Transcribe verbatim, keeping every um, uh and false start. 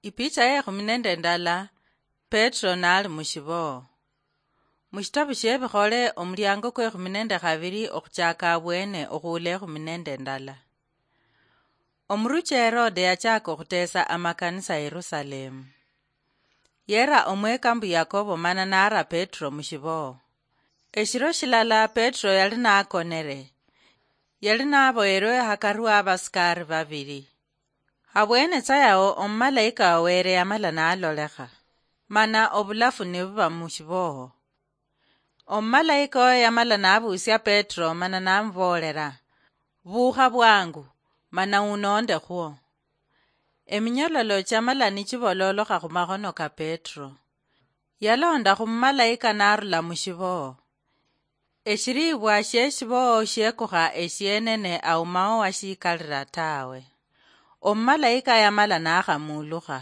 Ipicha ye ekhumi nende ndala, Petro nali mushiboo. Mushitabu shie Ebikhole, omuliango kwe ekhumi nende khabili okhuchaka abwene okhuula ekhumi nende ndala. Omuruchi Herode yachaka okhuteesa amakanisa Yerusalemu. Yera omweka mbu Yakobo mana nara Petro mushiboo. Eshiro shilala Petro yali nakonere. Yali naboyerwe hakari wa abasikari babili. Habwene tsa yao omumalaika wa Were yamala nalolekha, mana obulafu nibuba mushiboo. Omumalaika oyo yamala nabuusia Petro mana namuboolera, "Buukha bwangu, mana unoonde khwo." Eminyololo chiamala nichibololokha khumakhono ka Petro. Yalonda khumumalaika narula mushiboo. Eshiribwa shieshiboo shiekukha eshienene aumao washikalira tawe. Omumalaika yamala nakhamulukha.